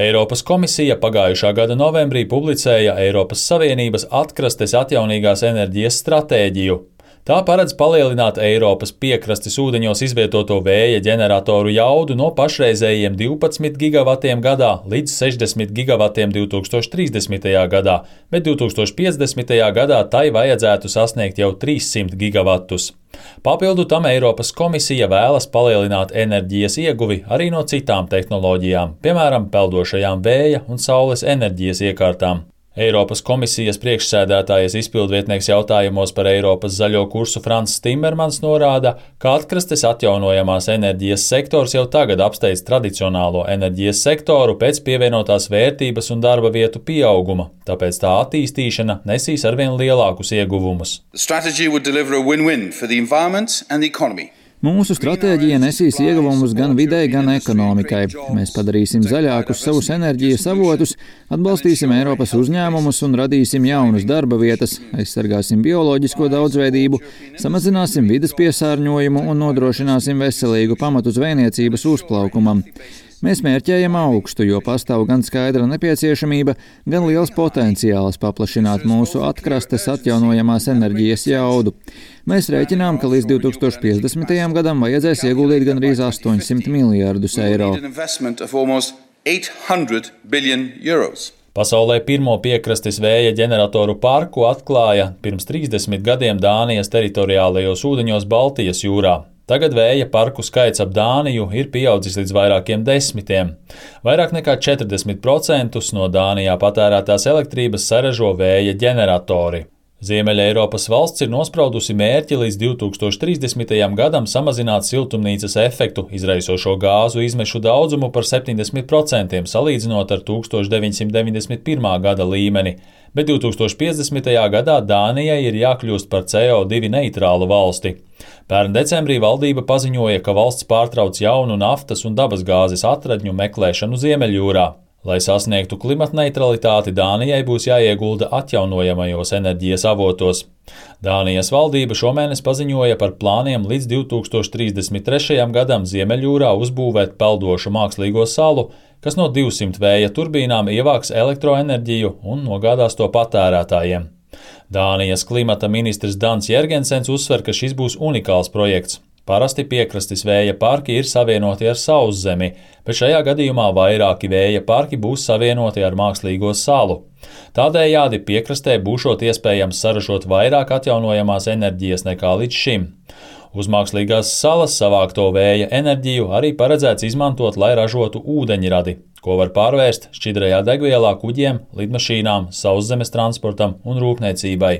Eiropas komisija pagājušā gada novembrī publicēja Eiropas Savienības atkrastes atjaunīgās enerģijas stratēģiju. Tā paredz palielināt Eiropas piekrastes ūdeņos izvietoto vēja ģeneratoru jaudu no pašreizējiem 12 gigavatiem gadā līdz 60 gigavatiem 2030. gadā, bet 2050. gadā tai vajadzētu sasniegt jau 300 gigavatus. Papildu tam Eiropas komisija vēlas palielināt enerģijas ieguvi arī no citām tehnoloģijām, piemēram, peldošajām vēja un saules enerģijas iekārtām. Eiropas komisijas priekšsēdētājas izpildvietnieks jautājumos par Eiropas zaļo kursu Franss Timmermans norāda, ka atkrastes atjaunojamās enerģijas sektors jau tagad apsteidz tradicionālo enerģijas sektoru pēc pievienotās vērtības un darba vietu pieauguma, tāpēc tā attīstīšana nesīs arvien lielākus ieguvumus. Mūsu stratēģija nesīs ieguvumus gan videi, gan ekonomikai. Mēs padarīsim zaļākus savus enerģijas avotus, atbalstīsim Eiropas uzņēmumus un radīsim jaunas darba vietas, aizsargāsim bioloģisko daudzveidību, samazināsim vides piesārņojumu un nodrošināsim veselīgu pamatu zvejniecības uzplaukumam. Mēs mērķējam augstu, jo pastāv gan skaidra nepieciešamība, gan liels potenciāls paplašināt mūsu atkrastes atjaunojamās enerģijas jaudu. Mēs rēķinām, ka līdz 2050. gadam vajadzēs ieguldīt gandrīz 800 miljārdus eiro. Pasaulē pirmo piekrastes vēja ģeneratoru parku atklāja pirms 30 gadiem Dānijas teritoriālajos ūdeņos Baltijas jūrā. Tagad vēja parku skaits ap Dāniju ir pieaudzis līdz vairākiem desmitiem. Vairāk nekā 40% no Dānijā patērētās elektrības saražo vēja ģeneratori. Ziemeļa Eiropas valsts ir nospraudusi mērķi līdz 2030. gadam samazināt siltumnīcas efektu izraisošo gāzu izmešu daudzumu par 70% salīdzinot ar 1991. gada līmeni, bet 2050. gadā Dānijai ir jākļūst par CO2 neitrālu valsti. Pērn decembrī valdība paziņoja, ka valsts pārtrauc jaunu naftas un dabasgāzes atradņu meklēšanu Ziemeļjūrā. Lai sasniegtu klimatneitralitāti, Dānijai būs jāiegulda atjaunojamajos enerģijas avotos. Dānijas valdība šomēnes paziņoja par plāniem līdz 2033. gadam Ziemeļjūrā uzbūvēt peldošu mākslīgo salu, kas no 200 vēja turbīnām ievāks elektroenerģiju un nogādās to patērētājiem. Dānijas klimata ministrs Dans Jergensens uzsver, ka šis būs unikāls projekts. Parasti piekrastes vēja parki ir savienoti ar sauszemi, bet šajā gadījumā vairāki vēja parki būs savienoti ar mākslīgo salu. Tādējādi piekrastē būšot iespējams saražot vairāk atjaunojamās enerģijas nekā līdz šim. Uz mākslīgās salas savākto vēja enerģiju arī paredzēts izmantot, lai ražotu ūdeņradi, ko var pārvērst šķidrajā degvielā kuģiem, lidmašīnām, sauszemes transportam un rūpniecībai.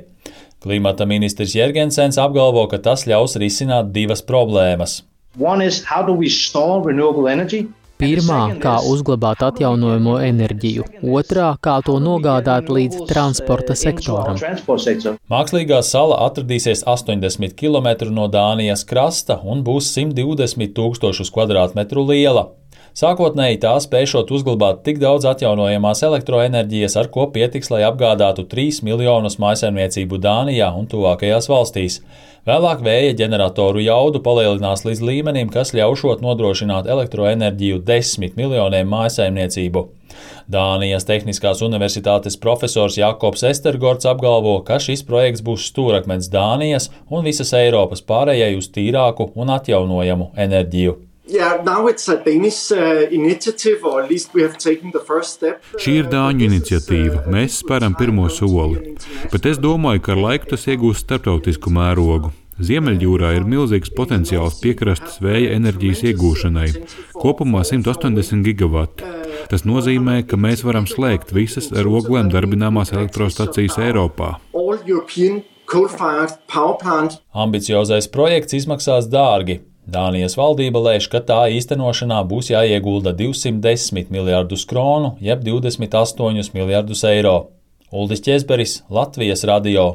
Klimata ministrs Jergensens apgalvo, ka tas ļaus risināt divas problēmas. Pirmā, kā uzglabāt atjaunojamo enerģiju. Otrā, kā to nogādāt līdz transporta sektoram. Mākslīgā sala atradīsies 80 km no Dānijas krasta un būs 120 000 kvadrātmetru liela. Sākotnēji tā spēšot uzglabāt tik daudz atjaunojamās elektroenerģijas, ar ko pietiks, lai apgādātu 3 miljonus mājsaimniecību Dānijā un tuvākajās valstīs. Vēlāk vēja ģeneratoru jaudu palielinās līdz līmenim, kas ļaušot nodrošināt elektroenerģiju 10 miljoniem mājsaimniecību. Dānijas Tehniskās universitātes profesors Jakobs Estergorts apgalvo, ka šis projekts būs stūrakmens Dānijas un visas Eiropas pārējai uz tīrāku un atjaunojamu enerģiju. Šī ir Dāņu iniciatīva. Mēs spēram pirmo soli. Bet es domāju, ka ar laiku tas iegūs starptautisku mērogu. Ziemeļjūrā ir milzīgs potenciāls piekrastes vēja enerģijas iegūšanai. Kopumā 180 gigavati. Tas nozīmē, ka mēs varam slēgt visas ar oglēm darbināmās elektrostacijas Eiropā. Ambiciozais projekts izmaksās dārgi. Dānijas valdība lēš, ka tā īstenošanā būs jāiegulda 210 miljārdus kronu, jeb 28 miljārdus eiro. Uldis Ķezberis, Latvijas radio.